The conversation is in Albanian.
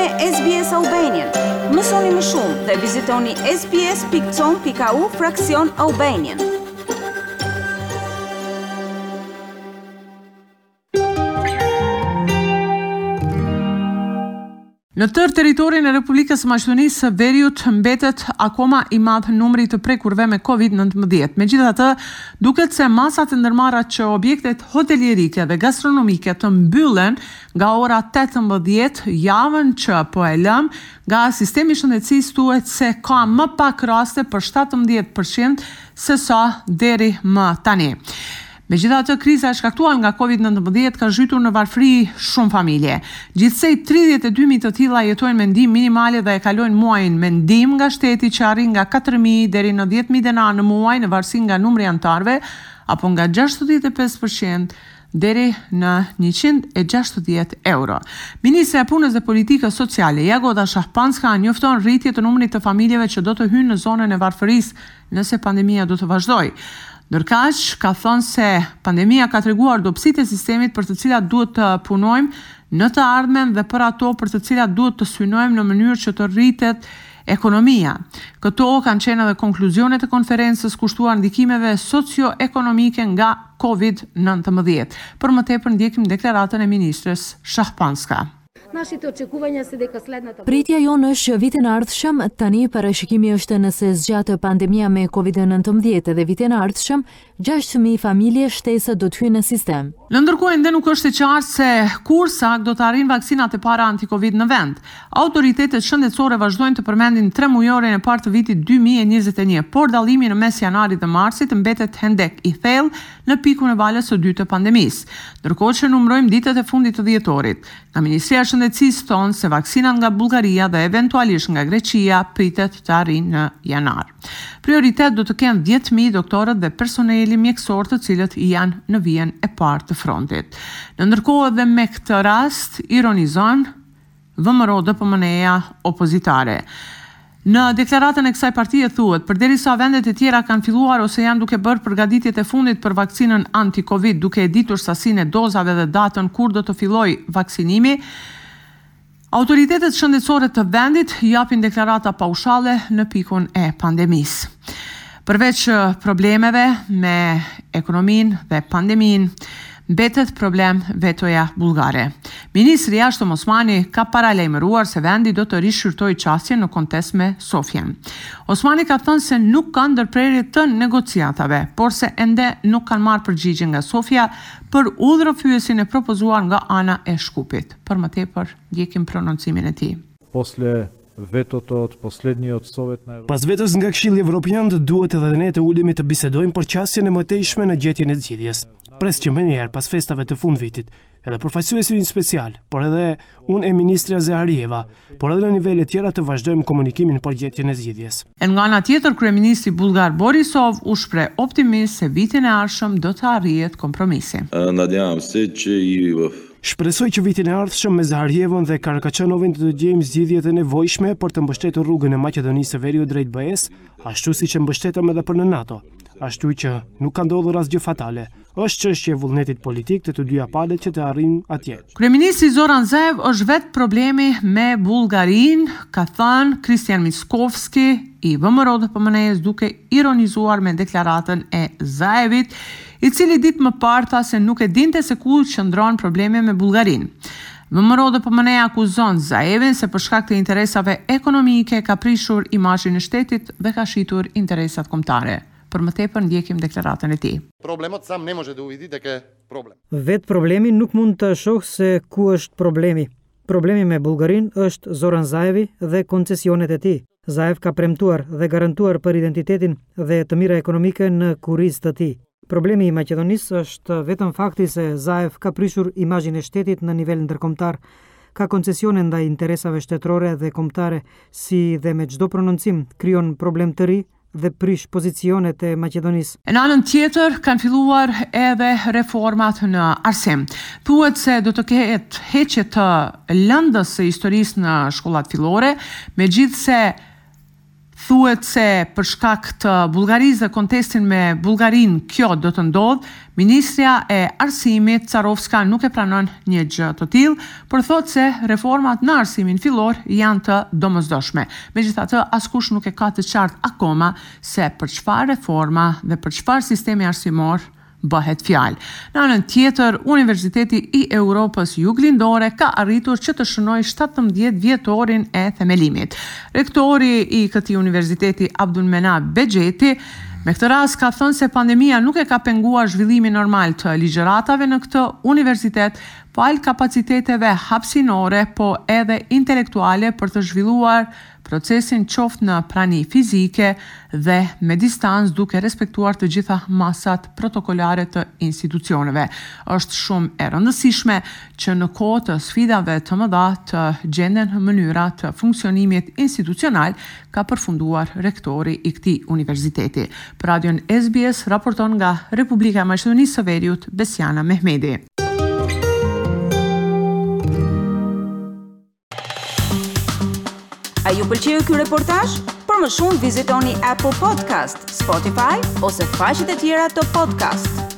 me SBS Albanian. Mësoni më shumë dhe vizitoni sbs.com.au fraksion Albanian. Në tërë territorin e Republikës së Maqedonisë së Veriut mbetet akoma i madh numri i të prekurve me Covid 19. Megjithatë, duket se masat e ndërmarra që objektet hotelierike dhe gastronomike të mbyllen nga ora 18 javën që po e lëmë, nga sistemi i shëndetësisë thuhet se ka më pak raste për 17% se sa deri më tani. Megjithatë, kriza e shkaktuar nga Covid 19 ka zhytur në varfëri shumë familje. Gjithsej 32.000 të tilla jetojnë me ndihmë minimale dhe e kalojnë muajin me ndihmë nga shteti që arrin nga 4.000 deri në 10.000 denarë në muaj në varësi nga numri i anëtarëve apo nga 65% deri në 160 euro. Ministrja e Punës dhe Politikës Sociale, Jagoda Shahpanska, njofton rritje të numrit të familjeve që do të hyjnë në zonën e varfërisë nëse pandemia do të vazhdojë. Ndërkaq, ka thënë se pandemia ka treguar dobësitë e sistemit për të cilat duhet të punojmë në të ardhmen dhe për ato për të cilat duhet të synojmë në mënyrë që të rritet ekonomia. Këto kanë qenë edhe konkluzionet e konferencës kushtuar ndikimeve socio-ekonomike nga Covid-19. Për më tepër ndjekim deklaratën e ministres Shahpanska. Pritja jonë është që vitin e ardhshëm, tani parashikimi është nëse zgjat pandemia me Covid-19 edhe vitin e ardhshëm, 6.000 familje shtesë do të hyjnë në sistem. Në ndërkohë ende nuk është e qartë se kur saktë do të arrijnë vaksinat e para anti-Covid në vend. Autoritetet shëndetësore vazhdojnë të përmendin tremujorin e parë të vitit 2021, por dallimi në mes janarit dhe marsit mbetet hendek i thellë në pikun e valës së dytë të pandemisë. Ndërkohë që numërojmë ditët e fundit të dhjetorit, nga Ministria e Shëndetësisë thonë se vaksinat nga Bullgaria dhe eventualisht nga Greqia pritet të arrijnë në janar. Prioritet do të kenë 10.000 doktorët dhe personeli mjekësor të cilët janë në vijën e parë të frontit. Në ndërkohë edhe me këtë rast ironizon VMRO DPMNE-ja opozitare. Në deklaratën e kësaj partie thuhet, përderisa vendet e tjera kanë filluar ose janë duke bërë përgatitjet e fundit për vaksinën anti-Covid, duke e ditur sasinë e dozave dhe datën kur do të fillojë vaksinimi, autoritetet shëndetësore të vendit japin deklarata paushalle në pikun e pandemisë. Përveç problemeve me ekonominë dhe pandeminë, mbetet problem vetoja bullgare. Ministri i Jashtëm Osmani ka paralajmëruar se vendi do të rishqyrtojë qasjen në kontest me Sofjen. Osmani ka thënë se nuk ka ndërprerje të negociatave, por se ende nuk kanë marrë përgjigje nga Sofja për udhërrëfyesin e propozuar nga ana e Shkupit. Për më tepër, ndjekim prononcimin e tij. Posle vetoto od poslednjot Sovet na Pas vetos nga Këshilli Evropian duhet edhe ne të ulemi të bisedojmë për qasjen e mëtejshme në gjetjen e zgjidhjes. Pres që menjëherë pas festave të fundvitit, edhe përfaqësuesi ynë special, por edhe unë e ministrja Zaharieva, por edhe në nivele tjera të vazhdojmë komunikimin për gjetjen e zgjidhjes. E nga ana tjetër, kryeministri bullgar Borisov u shpreh optimist se vitin e ardhshëm do të arrihet kompromisi. Nadjavam se që i Shpresoj që vitin e ardhshëm me Zaharievën dhe Karakaçanovin do të gjejmë zgjidhjet e nevojshme për të mbështetur rrugën e Maqedonisë së Veriut drejt BE-së, ashtu siç e mbështetëm edhe për në NATO. Ashtu që nuk ka ndodhur asgjë fatale. Është çështje e vullnetit politik të të dyja palët që të arrijnë atje. Kryeministri Zoran Zaev është vetë problemi me Bullgarinë, ka thënë Hristijan Mickoski i VMRO-DPMNE-së duke ironizuar me deklaratën e Zaevit, i cili ditë më parë tha se nuk e dinte se ku qëndron problemi me Bullgarinë. VMRO-DPMNE akuzon Zaevin se për shkak të interesave ekonomike ka prishur imazhin e shtetit dhe ka shitur interesat kombëtare. Për më tepër ndjekim deklaratën e tij. Problemot sam ne može da uvidi deka je problem. Vetë problemi nuk mund të shohë se ku është problemi. Problemi me Bullgarinë është Zoran Zaevi dhe koncesionet e tij. Zaev ka premtuar dhe garantuar për identitetin dhe të mira ekonomike në kurriz të tij. Problemi i Maqedonisë është vetëm fakti se Zaev ka prishur imazhin e shtetit në nivel ndërkombëtar, ka koncesione ndaj interesave shtetërore dhe kombëtare, si dhe me çdo prononcim krijon problem të ri dhe prish pozicionet e Maqedonisë. E në anën tjetër kanë filluar edhe reformat në arsim. Thuhet se do të ketë heqje të lëndës së historisë në shkollat fillore, megjithëse. Thuhet se për shkak të Bullgarisë dhe kontestin me Bullgarinë kjo do të ndodhë, ministrja e Arsimit, Carovska nuk e pranon një gjë të tillë, por thotë se reformat në arsimin fillor janë të domosdoshme. Megjithatë, askush nuk e ka të qartë akoma se për çfarë reforma dhe për çfarë sistemi arsimor bëhet fjalë. Në anën tjetër, Universiteti i Europës Juglindore ka arritur që të shënojë 17 vjetorin e themelimit. Rektori i këtij universiteti Abdulmenap Bexheti, me këtë rast ka thënë se pandemia nuk e ka penguar zhvillimin normal të ligjëratave në këtë universitet, falë kapaciteteve hapësinore, po edhe intelektuale për të zhvilluar procesin qoftë në prani fizike dhe me distancë duke respektuar të gjitha masat protokollare të institucioneve. Është shumë e rëndësishme që në kohë të sfidave të mëdha të gjenden mënyra të funksionimit institucional, ka përfunduar rektori i këtij universiteti. Për Radion SBS raporton nga Republika e Maqedonisë së Veriut, Besiana Mehmedi. A ju pëlqeu ky reportazh? Për më shumë vizitoni Apple Podcast, Spotify ose faqet e tjera të podcast.